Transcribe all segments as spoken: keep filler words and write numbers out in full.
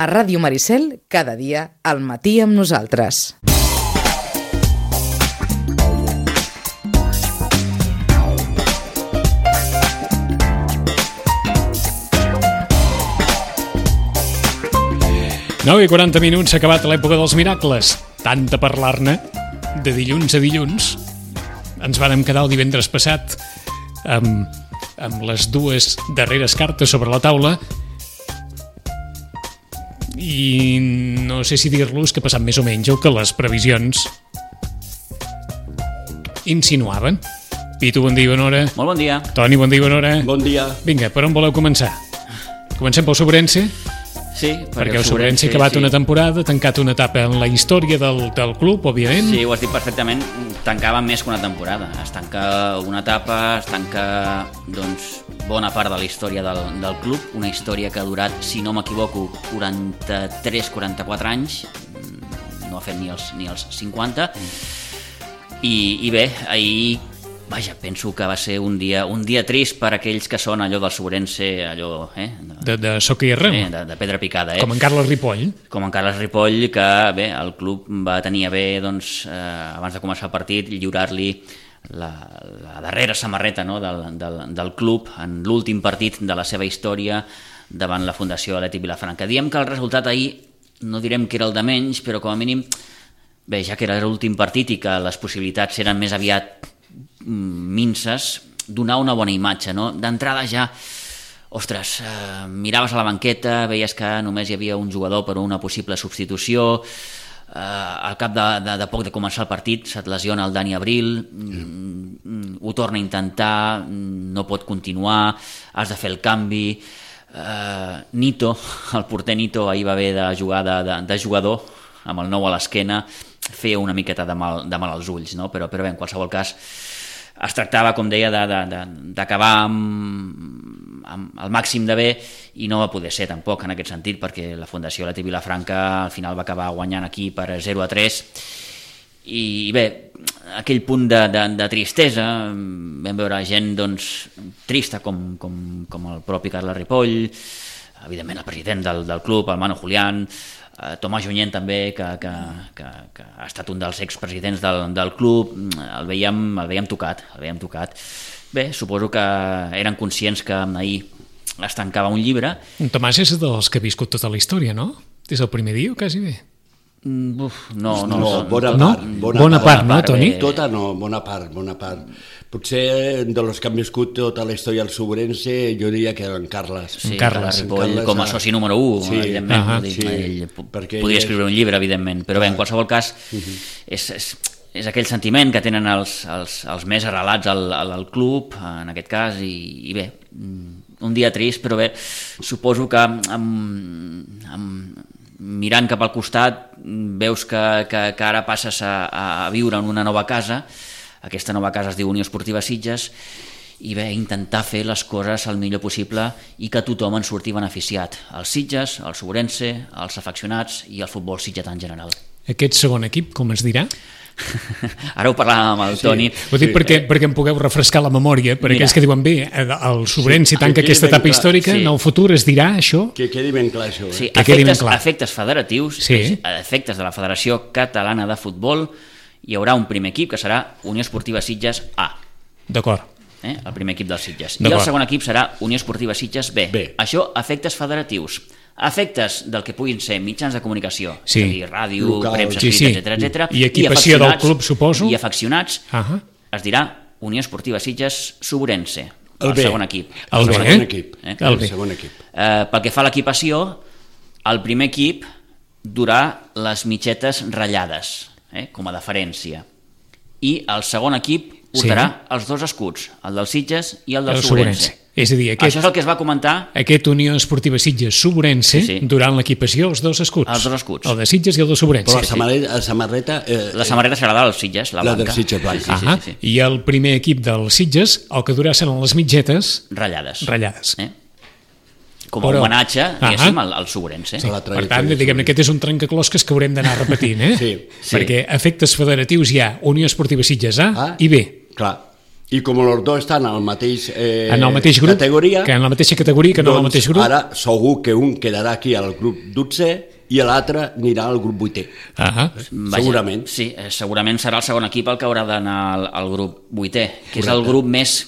A Ràdio Maricel, cada dia, al matí amb nosaltres. nou i quaranta minuts, s'ha acabat l'època dels miracles. Tant de parlar-ne, de dilluns a dilluns. Ens vàrem quedar el divendres passat amb, amb les dues darreres cartes sobre la taula i no sé si dir-los que ha passat més o menys el que les previsions insinuaven. Pitu, bon dia i bona hora. Molt bon dia. Toni, bon dia i bona hora. Bon dia. Vinga, per on voleu començar? Comencem pel Sobrense? Sí, perquè el Sobrense ha acabat sí. una temporada, tancat una etapa en la història del, del club, òbviament. Sí, ho has dit perfectament, tancava més que una temporada. Es tanca una etapa, es tanca doncs, bona part de la història del, del club, una història que ha durat, si no m'equivoco, quaranta-tres quaranta-quatre anys, no ha fet ni els, ni els cinquanta, i, i bé, ahir... Vaja, penso que va ser un dia un dia trist per aquells que són allò del Sobrense, allò, eh? De, de Soquirra. Eh, de, de pedra picada, eh? Com en Carles Ripoll. Com en Carles Ripoll, que bé, el club va tenir a bé, doncs, eh, abans de començar el partit, lliurar-li la, la darrera samarreta, no?, del, del, del club en l'últim partit de la seva història davant la Fundació Atlètic Vilafranca. Diem que el resultat ahir, no direm que era el de menys, però com a mínim, bé, ja que era l'últim partit i que les possibilitats eren més aviat minces, donar una bona imatge, no? D'entrada ja, ostres, eh, miraves a la banqueta, veies que només hi havia un jugador per una possible substitució, eh, al cap de, de, de poc de començar el partit se't lesiona el Dani Abril, mm, ho torna a intentar, no pot continuar, has de fer el canvi, eh, Nito, el porter Nito ahir va haver de jugar de, de, de jugador amb el nou a l'esquena, feia una miqueta de mal, de mal als ulls, no? però, però bé, en qualsevol cas es tractava, com deia, d'acabar amb, amb el màxim de bé i no va poder ser tampoc en aquest sentit, perquè la Fundació Atlètic Vilafranca al final va acabar guanyant aquí per zero a tres i bé, aquell punt de, de, de tristesa, vam veure gent doncs, trista com, com, com el propi Carles Ripoll, evidentment el president del, del club, el Manu Julián, Tomàs Junyent també, que, que, que, que ha estat un dels expresidents del, del club, el veiem, el veiem tocat, el veiem tocat. Bé, suposo que eren conscients que ahir es tancava un llibre. Tomàs és dels que ha viscut tota la història, no? Des del primer dia o quasi bé? Uf, no, no, no, bona no? part. Bona, bona part, part, no, Toni? Bé. Tota no, bona part, bona part. Potser de los que han viscut tota la història del Sobrense, jo diria que en Carles. Sí, en Carles. Ripoll, Carles com a soci número u, sí, evidentment. Uh-huh, dir, sí, ell podria escriure un llibre, evidentment, però bé, en qualsevol cas, uh-huh. és, és, és aquell sentiment que tenen els, els, els més arrelats al, al, al club, en aquest cas, i, i bé, un dia trist, però bé, suposo que amb, amb, mirant cap al costat veus que, que, que ara passes a, a viure en una nova casa. Aquesta nova casa es diu Unió Esportiva Sitges i bé, intentar fer les coses el millor possible i que tothom en surti beneficiat. Els Sitges, el Sobrense, els afeccionats i el futbol sitgetà en general. Aquest segon equip, com es dirà? Ara ho parlàvem amb el sí. Toni. Ho dic sí. perquè, perquè em pugueu refrescar la memòria, per aquells que diuen bé, el Sobrense sí, tanca aquesta etapa històrica, sí. en el futur es dirà això? Que quedi ben clar això. Eh? Sí, que efectes, clar. efectes federatius, sí. efectes de la Federació Catalana de Futbol, hi haurà un primer equip que serà Unió Esportiva Sitges A. D'acord. Eh? El primer equip dels Sitges. I el segon equip serà Unió Esportiva Sitges B. B. Això, efectes federatius. Efectes del que puguin ser mitjans de comunicació, sí. és a dir, ràdio, local, premsa, sí, sí. etcètera, etcètera. I equipació del club, suposo. I afeccionats, uh-huh. es dirà Unió Esportiva Sitges Sobrense, el, el segon equip. El, el segon eh? equip. Eh? El, el segon equip. Eh, pel que fa a l'equipació, el primer equip durà les mitgetes ratllades, eh? com a deferència. I el segon equip portarà sí. els dos escuts, el del Sitges i el del el Sobrense. És a dir, aquest, això és el que es va comentar. Aquest Unió Esportiva Sitges Sobrense, sí, sí. durant l'equipació, els dos escuts. Els dos escuts. El de Sitges i el de Sobrense. Però la samarreta... La samarreta, eh, la samarreta serà la dels Sitges, la, la blanca. del Sitges blanca. Sí, sí, sí, sí. I el primer equip del Sitges, el que durà seran les mitgetes... Ratllades. Ratllades. Eh? Com a Però... homenatge, diguéssim, al, al Sobrense. Sí. Per tant, diguem-ne, aquest és un trencaclosques que haurem d'anar repetint, eh? sí, sí. Perquè efectes federatius hi ha Unió Esportiva Sitges A ah, i B. Clar. I com els dos estan en el mateix, eh, en el mateix grup, categoria, que en la mateixa categoria, que no en el doncs mateix grup. Ara segur que un quedarà aquí al grup dotzè i l'altre anirà al grup vuitè. Ah, Vaja, segurament. Sí, eh, segurament serà el segon equip el que haurà d'anar al, al grup vuitè, que Correcte. És el grup més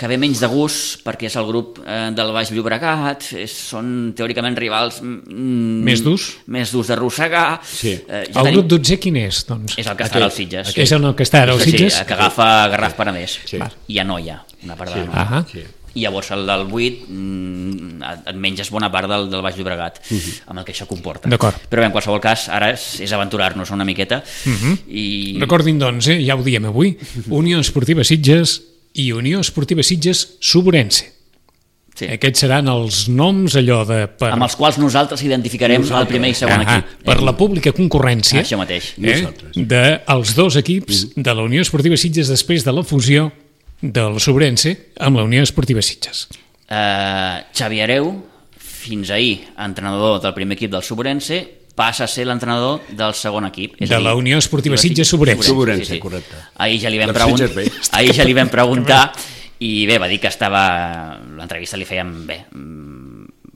que ve menys de gust, perquè és el grup eh, del Baix Llobregat, és, són teòricament rivals mm, més durs més durs d'arrossegar. Sí. Eh, ja el tenim... grup dotzè quin és? Doncs? És el que està als Sitges. És el que està als Sitges? Sí, que agafa Garraf Penedès sí. i Anoia, una part sí. de la ah sí. I llavors el del vuit mm, et menges bona part del, del Baix Llobregat, uh -huh. amb el que això comporta. D'acord. Però bé, en qualsevol cas, ara és, és aventurar-nos una miqueta. Uh -huh. I... Recordin, doncs, eh, ja ho diem avui, Unió Esportiva Sitges i Unió Esportiva Sitges Sobrense. Sí. Aquests seran els noms allò de... Per... amb els quals nosaltres identificarem nosaltres. El primer i segon ah, equip. Per la pública concurrència això mateix. Eh, dels dos equips mm. de la Unió Esportiva Sitges després de la fusió del Sobrense amb la Unió Esportiva Sitges. Uh, Xavi Hereu, fins ahir entrenador del primer equip del Sobrense, passa a ser l'entrenador del segon equip. És de dir, la Unió Esportiva Sitges Sobrense. Sobrense, sí, sí. correcte. Ahir ja li vam, pregun... ahir ja li vam preguntar i bé, va dir que estava... L'entrevista li fèiem bé,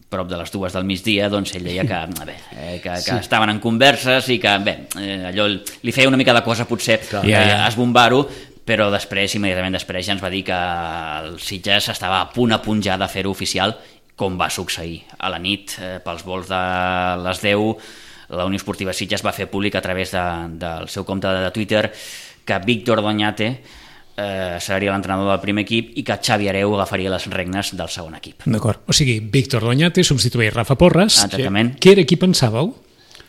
prop de les dues del migdia, doncs ell deia que, bé, eh, que, que sí. estaven en converses i que bé, eh, allò li feia una mica de cosa potser eh, ja, ja. esbombar-ho, però després, immediatament després, ja ens va dir que el Sitges estava a punt a punt ja de fer-ho oficial, com va succeir a la nit, eh, pels vols de les deu, la Unió Esportiva Sitges va fer públic a través de, del seu compte de Twitter que Víctor Doñate eh, seria l'entrenador del primer equip i que Xavi Hereu agafaria les regnes del segon equip. D'acord, o sigui, Víctor Doñate substitueix Rafa Porres. Exactament. Què era qui pensàveu?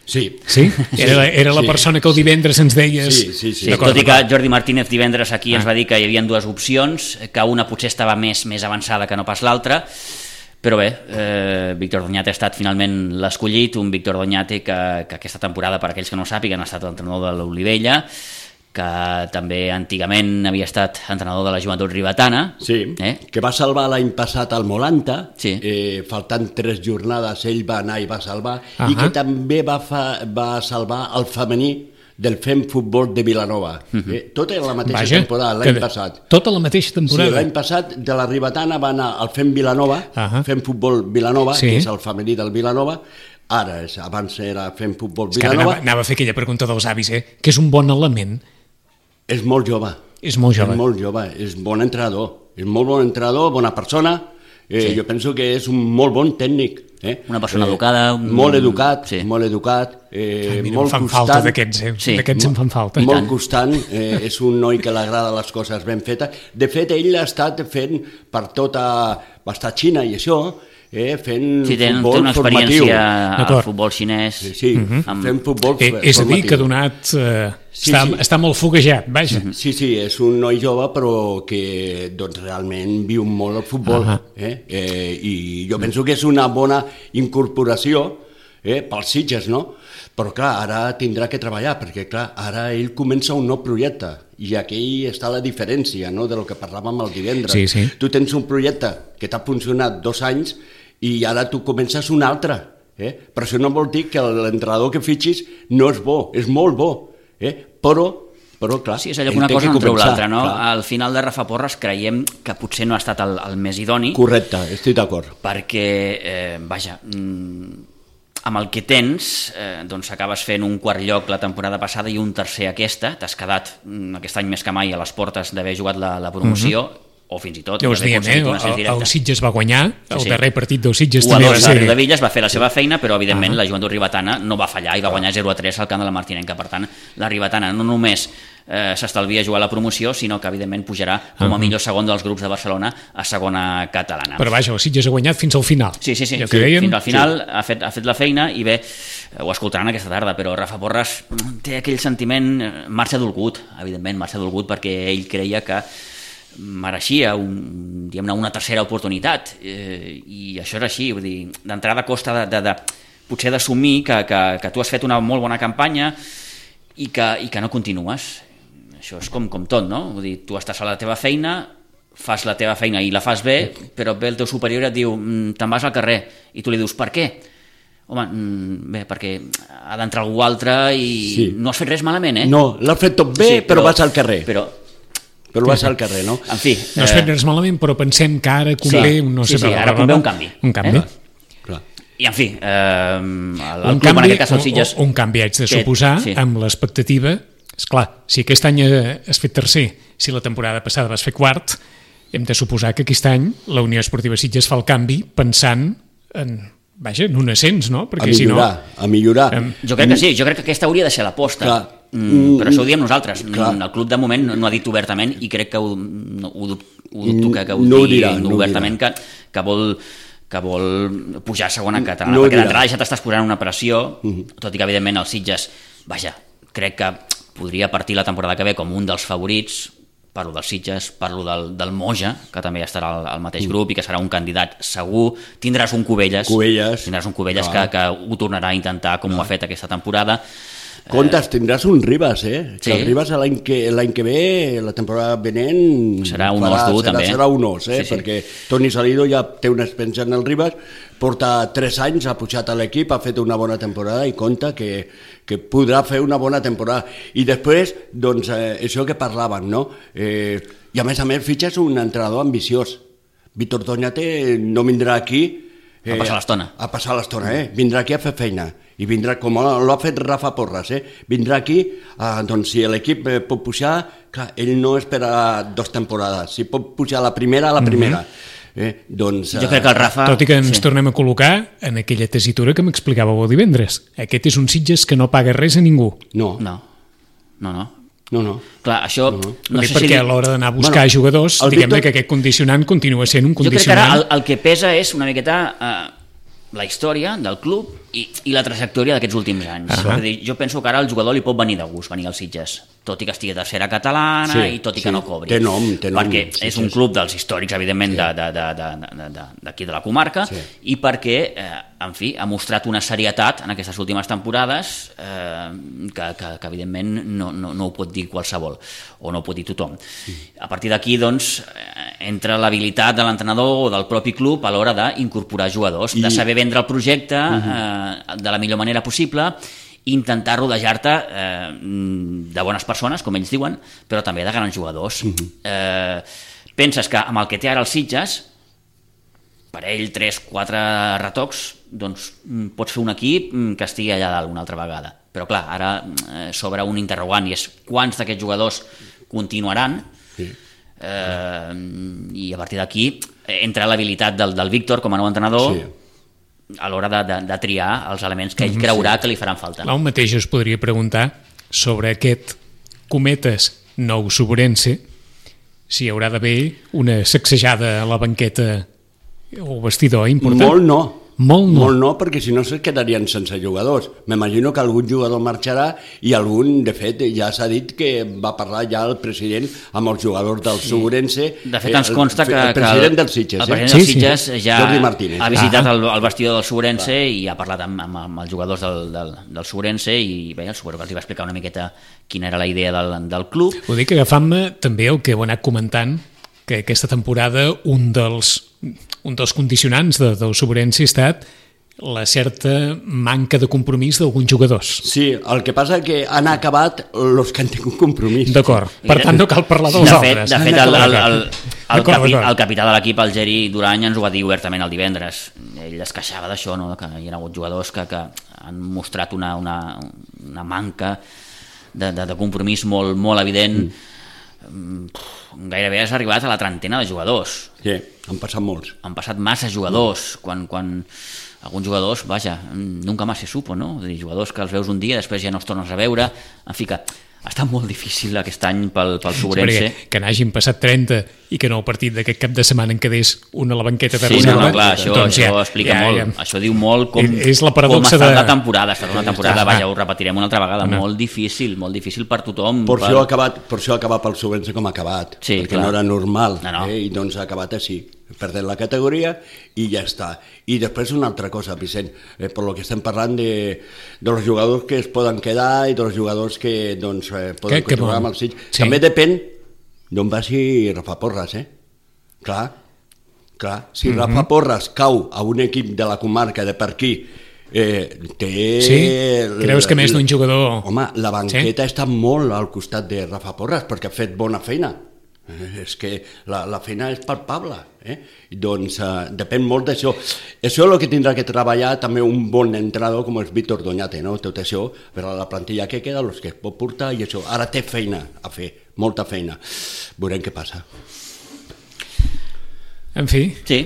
Sí. Sí? Era, era la sí. persona que el divendres ens deies... Sí, sí, sí. sí tot i que Jordi Martínez divendres aquí ah. ens va dir que hi havia dues opcions, que una potser estava més, més avançada que no pas l'altra, però bé, eh, Víctor Doñate ha estat finalment l'escollit, un Víctor Doñate que, que aquesta temporada, per aquells que no ho sàpiguen, ha estat l'entrenador de l'Olivella, que també antigament havia estat entrenador de la Joventut Ribetana. Sí, eh? que va salvar l'any passat al Molanta, sí. eh, faltant tres jornades ell va anar i va salvar, uh -huh. i que també va, fa, va salvar el femení del Fem Futbol de Vilanova. Uh -huh. eh, tot era la mateixa Vaja, temporada, l'any passat. Tota la mateixa temporada? Sí, l'any passat de la Ribetana va anar al Fem Vilanova, uh -huh. Fem Futbol Vilanova, sí. que és el femení del Vilanova. Ara, és, abans era Fem Futbol Vilanova. Anava, anava a fer aquella pregunta dels avis, eh? que és un bon element. És molt jove. És molt jove. És molt jove, és bon entrenador. És molt bon entrenador, bona persona. Eh, sí. Jo penso que és un molt bon tècnic. Eh? Una persona eh, educada. Un... Molt educat, sí. molt educat. Eh, ah, mira, molt em fan constant. falta d'aquests, eh? Sí. D'aquests em fan falta. Molt constant, eh, és un noi que li agrada les coses ben fetes. De fet, ell ha estat fent per tota... va estar a Xina i això, eh, fent sí, ten, futbol té una formatiu. experiència al futbol xinès. Sí, sí uh -huh. amb... fent futbol eh, formatiu. És a dir, que ha donat... Eh, sí, està, sí. està molt foguejat, vaja. Sí, sí, és un noi jove però que doncs, realment viu molt el futbol. Uh -huh. eh? Eh, I jo penso que és una bona incorporació eh, pels Sitges, no? Però clar, ara tindrà que treballar, perquè clar, ara ell comença un nou projecte, i aquí està la diferència, no?, de lo que parlàvem el divendres. Sí, sí. Tu tens un projecte que t'ha funcionat dos anys i ara tu comences un altre, eh? Però això no vol dir que l'entrenador que fitxis no és bo, és molt bo, eh? Però però clar, sí, és allò que una cosa no treu l'altra, no? Clar. Al final de Rafa Porres creiem que potser no ha estat el, el més idoni. Correcte, estic d'acord. Perquè, eh, vaja, mm, amb el que tens, eh, doncs acabes fent un quart lloc la temporada passada i un tercer aquesta, t'has quedat mm, aquest any més que mai a les portes d'haver jugat la, la promoció, uh -huh. o fins i tot ja us diem, eh? el, el Sitges va guanyar, el sí, sí. darrer partit del Sitges u també va ser... de Villas va fer la seva feina, però evidentment uh -huh. la Joventut Ribetana no va fallar i va guanyar zero a tres al camp de la Martinenca. Per tant, la Ribetana no només eh, s'estalvia jugar a la promoció, sinó que evidentment pujarà com a uh -huh. millor segon dels grups de Barcelona a segona catalana. Però vaja, el Sitges ha guanyat fins al final. Sí, sí, sí, ja sí deien, fins al final sí. ha, fet, ha fet la feina i bé, ho escoltaran aquesta tarda, però Rafa Porres té aquell sentiment, marxa dolgut, evidentment, marxa dolgut perquè ell creia que mereixia un, diguem-ne, una tercera oportunitat eh, i això és així, vull dir, d'entrada costa de, de, de, potser d'assumir que, que, que tu has fet una molt bona campanya i que, i que no continues. Això és com, com tot, no? Vull dir, tu estàs a la teva feina, fas la teva feina i la fas bé, però ve el teu superior i et diu te'n vas al carrer, i tu li dius per què? Home, bé, perquè ha d'entrar algú altre i sí. no has fet res malament, eh? No, l'has fet tot bé, sí, però, però vas al carrer. Però però va ser al carrer, no? En fi... No es fet res malament, però pensem que ara convé... Sí, no sí, sé, sí, ara convé un canvi. Un canvi. Eh? Clar. I, en fi, eh, el, el Un club, canvi, en aquest cas, el Sitges... un, un canvi haig de que- suposar, sí. amb l'expectativa... Esclar, si aquest any eh, has fet tercer, si la temporada passada vas fer quart, hem de suposar que aquest any la Unió Esportiva Sitges fa el canvi pensant en, vaja, en un ascens, no? A Perquè si no... millorar, a millorar. Em- Jo crec que sí, jo crec que aquesta hauria de ser l'aposta. Clar. Mm, però això ho diem nosaltres. Clar. El club de moment no, no ha dit obertament i crec que ho, no, ho, dub- ho dubto que, que ho No ho digui dirà, no ho obertament que, que vol que vol pujar a segona catalana, No ho perquè dirà. d'entrada ja t'estàs posant una pressió, Mhm. tot i que evidentment el Sitges, vaja, crec que podria partir la temporada que ve com un dels favorits. Parlo dels Sitges, parlo del, del Moja, que també estarà al, al mateix grup i que serà un candidat segur. Tindràs un Cubelles, Cubelles, tindràs un Cubelles que, clar. que ho tornarà a intentar com ho ha fet aquesta temporada. Comptes, tindràs un Ribas, eh? Sí. Que el Ribas l'any que, l'any que ve, la temporada venent... Serà un farà, os dur, serà, també. Serà un os, eh? Sí, sí. Perquè Toni Salido ja té una experiència en el Ribas, porta tres anys, ha pujat a l'equip, ha fet una bona temporada i compta que, que podrà fer una bona temporada. I després, doncs, eh, això que parlaven, no? Eh, I a més a més fitxes un entrenador ambiciós. Víctor Doñate no vindrà aquí... A passar l'estona. A passar l'estona, eh? Vindrà aquí a fer feina. I vindrà, com l'ha fet Rafa Porras, eh? Vindrà aquí, eh, doncs si l'equip eh, pot pujar, clar, ell no espera dos temporades. Si pot pujar la primera, a la primera. Eh? Doncs, Jo crec que el Rafa... Tot i que ens sí. tornem a col·locar en aquella tesitura que m'explicàveu el divendres. Aquest és un Sitges que no paga res a ningú. No, No, no, no. no, no. Clar, això... No, No sé perquè si... a l'hora d'anar a buscar Bueno, jugadors, el diguem-ne Víctor- que aquest condicionant continua sent un Jo crec que ara condicionant... el, el que pesa és una miqueta eh, la història del club i, i la trajectòria d'aquests últims anys. Ah. Uh -huh. dir, jo penso que ara el jugador li pot venir de gust, venir als Sitges, tot i que estigui a tercera catalana Sí, i tot i sí. que no cobri. Té nom, té nom, Perquè és Sitges. un club dels històrics, evidentment, Sí. de- de- de- de- de- de- d'aquí de la comarca, Sí. i perquè, eh, en fi, ha mostrat una serietat en aquestes últimes temporades eh, que, que, que, evidentment, no, no, no ho pot dir qualsevol, o no ho pot dir tothom. A partir d'aquí, doncs, eh, entra l'habilitat de l'entrenador o del propi club a l'hora d'incorporar jugadors, I- de saber vendre el projecte eh, de la millor manera possible, intentar rodejar-te eh, de bones persones, com ells diuen, però també de grans jugadors. eh, penses que amb el que té ara els Sitges, per ell, tres, quatre retocs, doncs mm, pots fer un equip mm, que estigui allà dalt una altra vegada. Però clar, ara eh, s'obre un interrogant i és quants d'aquests jugadors continuaran. Sí. Eh, i a partir d'aquí eh, entra l'habilitat del, del Víctor com a nou entrenador Sí. a l'hora de, de, de triar els elements que ell creurà que li faran falta. Clar, un mateix us podria preguntar sobre aquest cometes nou Sobrense, si hi haurà d'haver una sacsejada a la banqueta o vestidor important. Molt no. Molt no. Molt no, perquè si no se quedarien sense jugadors. M'imagino que algun jugador marxarà i algun, de fet, ja s'ha dit que va parlar ja el president amb els jugadors del Sobrense. De fet, ens consta el, que... El president dels Sitges, el president eh? dels Sí, sí. Sitges ja Jordi Martínez, ha eh? visitat Ah. el, el vestidor del Sobrense i ha parlat amb, amb, amb els jugadors del, del, del Sobrense i bé, suposo que els va explicar una miqueta quina era la idea del, del club. Ho dic agafant-me també el que heu anat comentant, que aquesta temporada un dels, un dels condicionants de, del Sobrense ha estat la certa manca de compromís d'alguns jugadors. Sí, el que passa que han acabat els que han tingut compromís. D'acord. Per I de- tant, no cal parlar dels de altres. Fet, de fet, el, el, el, el, D'acord, capi, d'acord. el capità de l'equip, el Geri Durany, ens ho va dir obertament el divendres. Ell es queixava d'això, no? Que hi ha hagut jugadors que, que han mostrat una, una, una manca de, de, de compromís molt, molt evident. Mm. Gairebé has arribat a la trentena de jugadors. Sí, han passat molts. Han passat massa jugadors, quan, quan alguns jugadors, vaja, nunca más se supo, no? És a dir, jugadors que els veus un dia, després ja no els tornes a veure, en fi que ha estat molt difícil aquest any pel, pel Sobrense. Sí, que n'hagin passat trenta i que no el partit d'aquest cap de setmana en quedés un a la banqueta de Sí, no, reserva. no, clar, això, doncs això ja, explica ja, molt, ja. això diu molt com, És la com paradoxa ha estat de- la temporada, ha estat una temporada, Ah. vaja, ho repetirem una altra vegada, No. molt difícil, molt difícil per tothom. Per per... això ha acabat, per això ha acabat pel Sobrense com ha acabat, Sí, perquè clar. no era normal, No, no. Eh? I doncs ha acabat així, perdent la categoria i ja està. I després una altra cosa, Vicent, eh, per lo que estem parlant de, de los jugadors que es poden quedar i dels jugadors que doncs, eh, poden Que- que continuar bon. amb els Sitges. Sí. També depèn d'on vagi Rafa Porras, eh? Clar, clar. Si Mhm. Rafa Porras cau a un equip de la comarca de per aquí, eh, té... Sí? Creus que més d'un jugador- Home, la banqueta sí? està molt al costat de Rafa Porras perquè ha fet bona feina. És que la, la feina és palpable, eh? Doncs eh, depèn molt d'això. Això és el que tindrà que treballar també un bon entrenador com és Víctor Doñate, no? Tot això, per a la plantilla que queda, els que es pot portar i això. Ara té feina a fer, molta feina. Veurem què passa. En fi, Sí,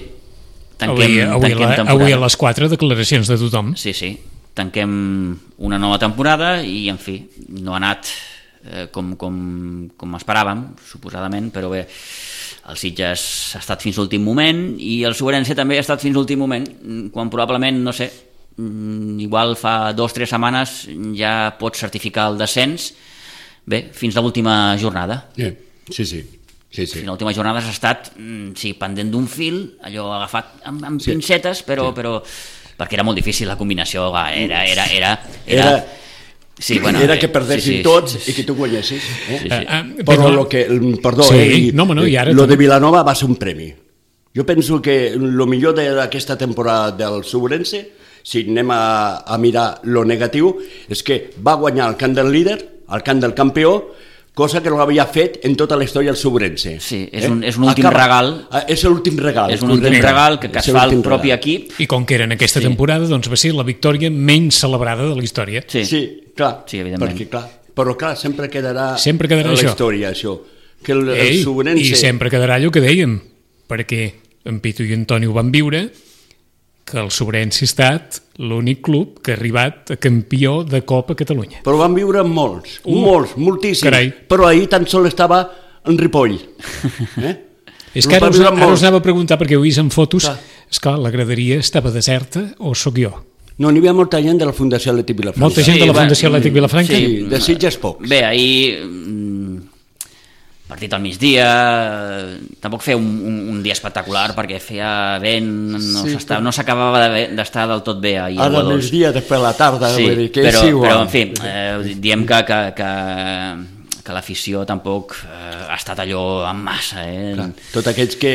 tanquem, avui, avui, tanquem la, temporada. avui a les quatre declaracions de tothom. Sí, sí, tanquem una nova temporada i, en fi, no ha anat eh, com, com, com esperàvem, suposadament, però bé, el Sitges ha estat fins l'últim moment i el Sobrense també ha estat fins l'últim moment, quan probablement, no sé, igual fa dos o tres setmanes ja pots certificar el descens, bé, fins a l'última jornada. Yeah. Sí, sí. Sí, sí. Fins a l'última jornada has estat sí, pendent d'un fil, allò agafat amb, amb sí. pincetes, però, sí. però perquè era molt difícil la combinació, va, era... era, era, era, era... Sí, bueno, era que perdessin sí, sí, tots sí, sí. i que tu guanyessis. Eh? Sí, sí. Uh, uh, però lo que, perdó, sí, eh, no, no, i ara lo també. de Vilanova va ser un premi. Jo penso que el millor d'aquesta temporada del Sobrense, si anem a, a mirar lo negatiu, és que va guanyar el camp del líder, el camp del campió, cosa que no l'havia fet en tota la història del Sobrense. Sí, és un, és un últim Acaba, regal. És l'últim regal. És un últim regal que, que es fa el propi regal. Equip. I com que era en aquesta sí. temporada, doncs va ser la victòria menys celebrada de la història. Sí, sí clar. Sí, evidentment. Perquè, clar, però clar, sempre quedarà, sempre quedarà a la això. història això. Que el, Ei, el Sobrense... I sempre quedarà allò que dèiem, perquè en Pitu i Antoni ho van viure, que el Sobrense ha estat l'únic club que ha arribat a campió de Copa Catalunya. Però van viure molts, uh, molts, moltíssims. Carai. Però ahir tan sol estava en Ripoll. Eh? És que ara us, ara us anava a preguntar, perquè ho he vist en fotos, clar. Esclar, la graderia estava deserta o sóc jo? No, n'hi havia molta gent de la Fundació Atlètic Vilafranca. Molta gent sí, de la va, Fundació Atlètic Vilafranca? Sí, de Sitges pocs. Bé, ahir... partit al migdia, tampoc feia un, un, un dia espectacular perquè feia vent, no sí, no s'acabava d'estar del tot bé ahir. Ara al migdia, després a la tarda, sí, vull dir que però, és igual. Però, en fi, eh, diem que, que, que, que l'afició tampoc eh, ha estat allò en massa. Eh? Clar, tots aquells que...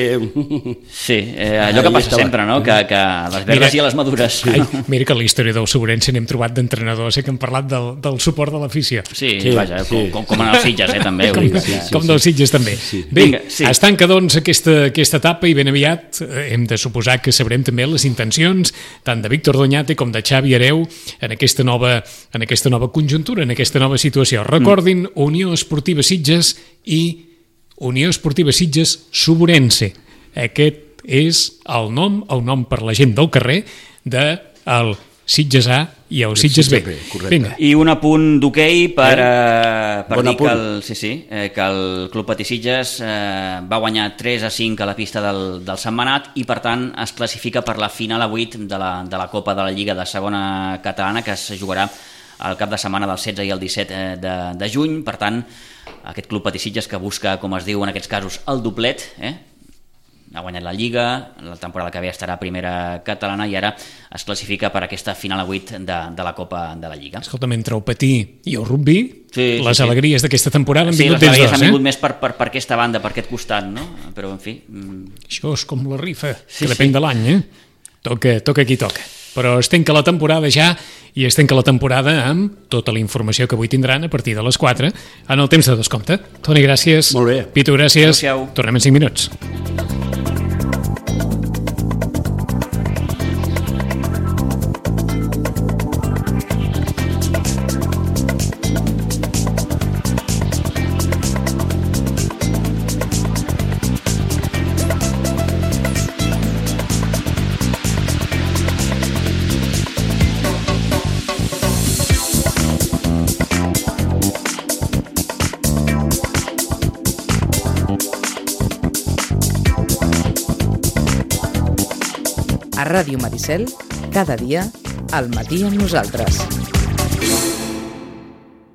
Sí, eh, allò que passa sempre, no? Que, que a les verdes mira, i a les madures. Ai, mira que a la història del Sobrense n'hem trobat d'entrenadors, eh, que hem parlat del, del suport de l'afició. Sí, sí, vaja, sí. Com, com en els Sitges, eh, també. Com, que, sí, sí, com sí. dels Sitges, també. Sí. Bé, Vinga, sí. es tanca, doncs, aquesta, aquesta etapa i ben aviat eh, hem de suposar que sabrem també les intencions tant de Víctor Doñate com de Xavi Hereu en aquesta nova, en aquesta nova conjuntura, en aquesta nova situació. Recordin, mm. Unió Esportiva Sitges i Unió Esportiva Sitges Sobrense. Aquest és el nom, el nom per la gent del carrer de el Sitges A i el Sitges B. Vinga. I un apunt d'hoquei per, eh? per bon dir que el, sí, sí, eh, que el Club Patí Sitges eh, va guanyar tres a cinc a la pista del, del Sentmenat i per tant es classifica per la final a vuit de la, de la Copa de la Lliga de Segona Catalana que es jugarà al cap de setmana del setze i el disset de, de juny. Per tant, aquest Club Patí Sitges que busca, com es diu en aquests casos, el doblet, eh? ha guanyat la Lliga, la temporada que ve estarà a primera catalana i ara es classifica per aquesta final a vuit de, de la Copa de la Lliga. Escolta'm, entre el patí i el rugby, sí, les sí, alegries sí. d'aquesta temporada han sí, vingut des dos, eh? Sí, les alegries han vingut més per, per, per aquesta banda, per aquest costat, no? Però, en fi... Això és com la rifa, sí, que depèn sí. de l'any, eh? Toca, toca qui toca. Però es tanca la temporada ja i es tanca la temporada amb tota la informació que avui tindran a partir de les quatre en el temps de descompte. Toni, gràcies. Molt bé. Pitu, gràcies. Adéu-siau. Tornem en cinc minuts. A Ràdio Maricel, cada dia, al matí amb nosaltres.